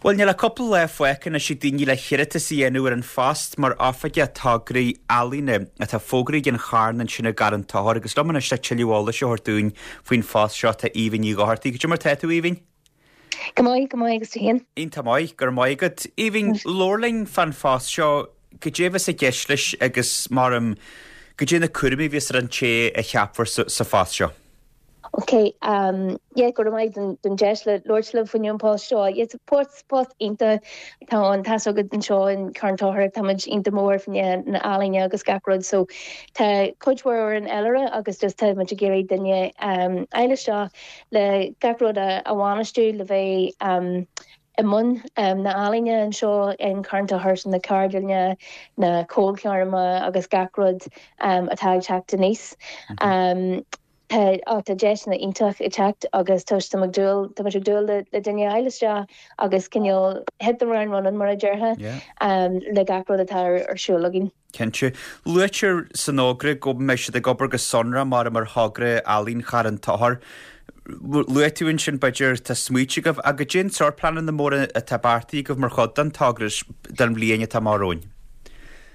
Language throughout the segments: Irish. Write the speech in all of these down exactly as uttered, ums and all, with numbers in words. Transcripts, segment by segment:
Bhuel, níl ach cúpla lá fágtha anois ag daoine le hiarratas a dhéanamh ar an phost mar Oifigeach Tograí Ealaíne atá fógraithe ag an Charn ansin i gCarn Tóchair agus liom anois le tuilleadh eolais a thabhairt dúinn faoin phost seo tá Aoibhinn Ní Dhochartaigh. Cad é mar tá tú, Aoibhinn? Go maith, go maith agus tú féin. Iontach maith, go raibh maith agat. Aoibhinn, labhair linn fán phost seo, cad é a bheas i gceist leis agus mar um, cad é na cúraimí a bheas ar an té a cheapfar sa, sa phost seo. Ok, um, yeah, go raibh maith don, don deis le labhairt libh faoin an post seo. Yes, post post iontach tá an tá agad anseo in Carn Tóchair táimid iontach mór faoi na healaíona agus gach rud so tá cuid mhór ar an fhéilire agus just tá muid ag iarraidh duine um, eile seo le gach rud a, a bhainistiú le bheith um, i mbun um, na healaíona anseo in Carn Tóchair na ceardlanna na ceolchoirmeacha agus gach rud um, atá ag teacht aníos. Um, Tá á tá deiseanna iontach ag teacht agus tá tá ag dúil tá ag dúil le le duine eile agus cineál hit the ground running mar a déarfá Yeah. um, le gach rud atá ar ar siúl againn. Cinnte. Luaitear san fhógra go mbeidh siad ag obair go sonrach mar mar thogra ealaíon Charn Tóchair. Luaigh tú ansin b'fhéidir tá smaointe agaibh agus cad é an sórt pleananna móra atá beartaithe agaibh mar chuid den togra don bhliain atá amach romhainn.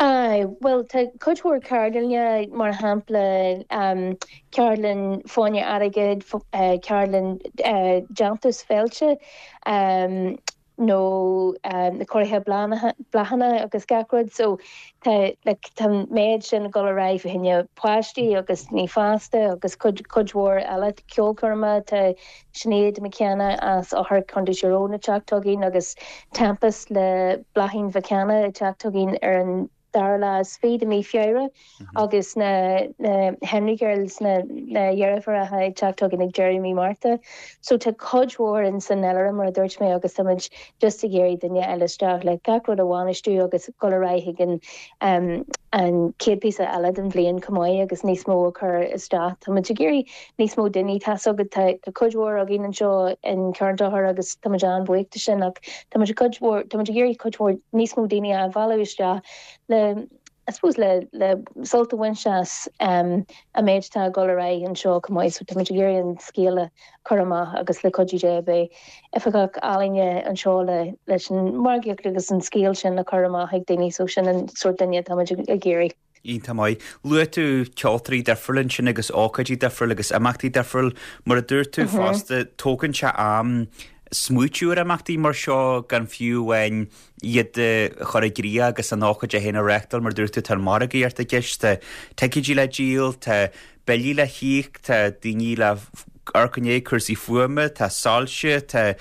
Aye, well tá cuid mhór ceardlanna mar shampla um, ceardlann fáinne airgid, uh, ceardlann uh, déantús feilte, um, nó um, na cóirithe bláthanna agus gach rud so tá like, tá méid sin go raibh hinne páistí agus ní fásta agus cuid cuid mhór eile ceolchoirme tá Sinéad McKenna as Fhothair Contae Tyrone ag teacht chugainn agus Tempest le Bláithín McKenna ag teacht chugainn ar an dara lá is fiche de mí Feabhra agus na na Henry Girls na na deirfiúracha ag teacht chugainn ag deireadh mí Márta. So tá cuid mhór in san fhéilire mar a dúirt mé agus táimid just ag iarraidh duine eile isteach le gach rud a bhainistiú agus go raibh an um, an chéad píosa eile den bhliain chomh maith agus níos mó a chur isteach. Táimid ag iarraidh níos mó daoine tá agad tá cuid mhór againn anseo in Carn Tóchair agus táimid an-bhuíoch de sin ach táimid cuid mhór táimid ag iarraidh cuid mhór níos mó daoine a mhealladh isteach le I suppose le le sult a bhaint as um, an méid tá go raibh anseo chomh maith so táimid ag iarraidh an scéal a chur amach agus le cuidiú Dé beidh oifigeach ealaíne anseo le leis an margaíocht agus an scéal sin a chur amach ag daoine so sin an sórt duine táimid ag iarraidh. Iontach maith. Luaigh tú ceoltóirí difriúla ansin agus ócáidí difriúla agus imeachtaí difriúla mar a dúirt tú fosta tógann sé am smaoitiú ar imeachtaí mar seo gan fiú amháin iad a chur i gcrích agus an ócáid é féin a reáchtáil mar dúirt tú tá margaíocht i gceist, tá ticéidí le díol, tá billí le híoc, tá daoine le arcané cúrsaí fuaime, tá soilse, tá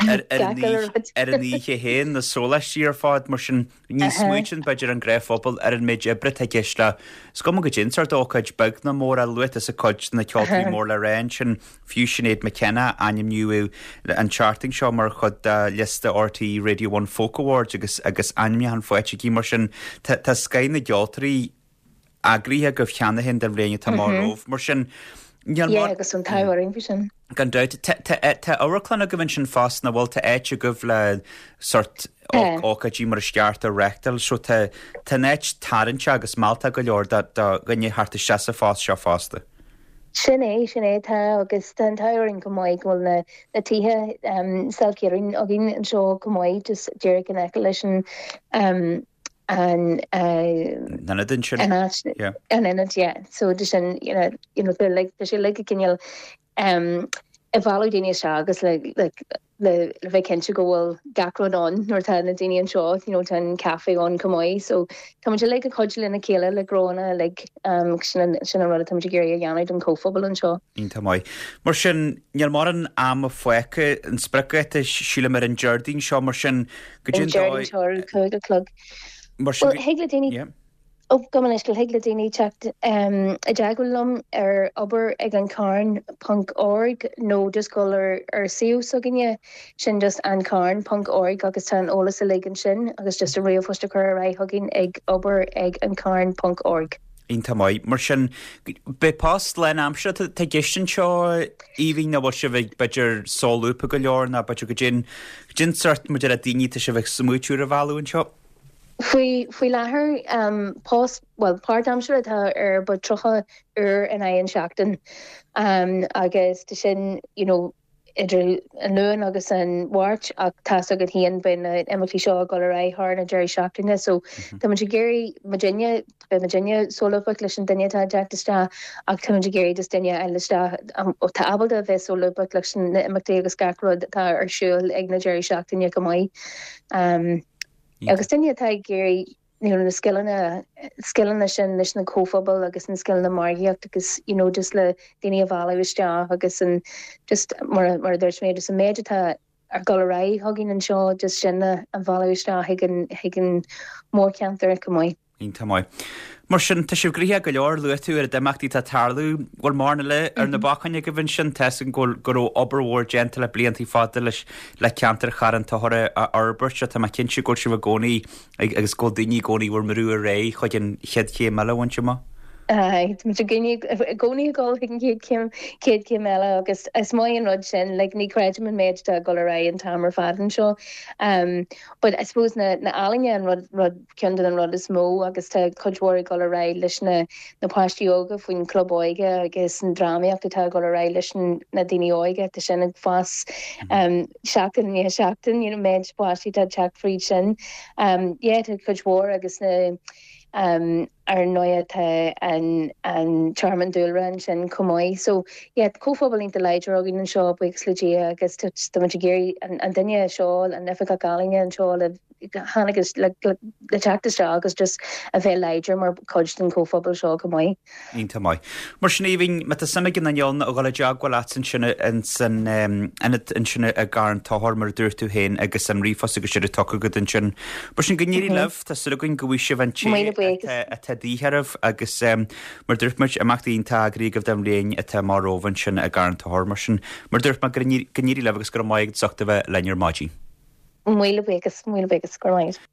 ar ar an oíche féin na sóláistí ar fad mar sin ní smaoiníonn b'fhéidir an gnáthphobal ar an méid oibre atá i gceist le is cuma cad é an sórt ócáid beag nó mór a luaigh tusa cuid na ceoltóirí mór le rá ansin fiú Sinéad McKenna ainmníodh an tseachtain seo mar chuid de liosta RTÉ Radio One Folk Awards agus agus ainmniúchán faighte aici mar sin tá tá scoth na gceoltóirí eagraithe agaibh cheana féin don bhliain atá amach romhaibh mar sin níl Yeah, agus an t-ádh faoi sin. Gan dabht tá amharclann agaibh ansin fosta nach bhfuil tá áit agaibh le sórt Tá. ócáidí mar is ceart a reáchtáil so tá tá an áit tarraingteach agus mealltach go leor do do dhuine theacht isteach sa phost seo fosta. Sin é sin é tá agus tá an t-ádh go maith go bhfuil na na tithe um, self-catering againn anseo go maith just díreach in aice leis an um, an uh, Nana den sin an áit Yeah. an ionad yeah. So de sin you know, you know, they're like tá sé like cineál um, ag mealladh daoine isteach agus le like le le bheith cinnte go bhfuil gach rud ann nuair tá na daoine anseo you know, tá an café ann chomh maith so tá muid like ag cuidiú lena chéile le gróna like um, sin an- sin an rud atá muid ag iarraidh a dhéanamh don chomhphobal anseo. Iontach maith. Mar sin níl mórán ama fágtha an spriocdháta sílim ar an Déardaoin seo mar sin go An dtí Déardaoin seo ar cúig a chlog. mar sin Well, thig le daoine Yeah. Ó go leis go thig le daoine teacht um, i dteagmháil liom ar obair ag an carn ponc org nó just dul ar ar suíomh s'againne sin just an carn ponc org agus tá an eolas uilig ansin agus just a ríomhphost a chur ar aghaidh chugainn ag obair ag an carn ponc org. Iontach maith. Mar sin beidh post lánaimseartha tá i gceist anseo Aoibhinn nach bhfuil sibh ag b'fhéidir solúbtha go leor ná b'fhéidir go dtí dtí sórt muid ar a daoine tá sibh ag smaoitiú ar a mhealladh anseo. Faoi faoi láthair um, post well páirtaimseartha atá ar ba tríocha uair in aghaidh an seachtain um, agus tá sin you know, idir an Luan agus an Mháirt ach tá's agat féin beidh na imeachtaí seo ag dul ar aghaidh thar na deirí seachtaine so tá muid ag iarraidh muidinne beidh muidinne solúbtha leis an duine atá ag teacht isteach ach tá muid ag iarraidh just duine a fháil isteach atá ábalta a bheith solúbtha leis na imeachtaí agus gach rud atá ar siúl ag na deirí seachtaine go maith. Um, agus duine atá ag iarraidh you know, na scileanna scileanna sin leis na comhphobal agus na scileanna margaíocht agus you know, just le daoine a mhealladh isteach agus an just mar mar dúirt mé just an méid atá ar dul ar aghaidh chugainn anseo just sin a mhealladh isteach chuig an chuig an mórcheantar go maith. Iontach maith. Mar sin tá sibh gnoitheach go leor luaigh tú ar na himeachtaí atá ag tarlú bhfuil mórán eile ar na bacáin agaibh ansin tá sin go go raibh obair mhór déanta le blianta fada leis le ceantar Charn Tóchair a fhorbairt tá mé cinnte go bhfuil sibh i gcónaí agus go daoine i gcónaí bhur mbrú ar aghaidh chuig an chéad chéim eile bhaint amach. Tá i gcónaí ag dul chuig an chéad chéim chéad chéim eile agus is maith an rud sin like, ní chreidim an méid atá ag dul ar aghaidh an t-am ar fad anseo. Um, but I suppose na, na ealaíona an rud, rud ceann den rud is mó agus tá cuid mhór ag dul ar aghaidh leis na, na páistí óga faoin club óige agus an drámaíocht atá ag dul ar aghaidh leis na daoine óga tá sin ag fás um, seachtain ní seachtain you know, méid páistí tá teacht fríd sin. Um, yeah, tá cuid mhór agus na um, ar ndóigh tá an, an tearmann dúlra ansin chomh maith. So yeah, comhphobal iontach láidir againn anseo buíochas le Dia agus tá ag iarraidh an, an duine seo an oifigeach ealaíne anseo le tháinig le, le, le teacht isteach agus just a bheith láidir mar chuid den chomhphobal seo go maith. Iontach maith. Mar sin Aoibhinn má tá suim ag an eol a dhul i dteagmháil leat ansin san ionad ansin i gCarn Tóchair mar a dúirt tú féin agus an ríomhphost agus siad tugtha agat ansin. Mar sin go n-éirí libh tá súil againn go bhfaighidh sibh an té Míle buíochas. atá de dhíth oraibh agus mar dúirt muid imeachtaí iontach eagraithe agaibh don bhliain atá amach romhainn ansin i gCarn Tóchair mar sin mar dúirt mé go n-éirí libh agus go raibh maith agat as ucht a bheith linn ar maidin. Míle buíochas míle buíochas go maith.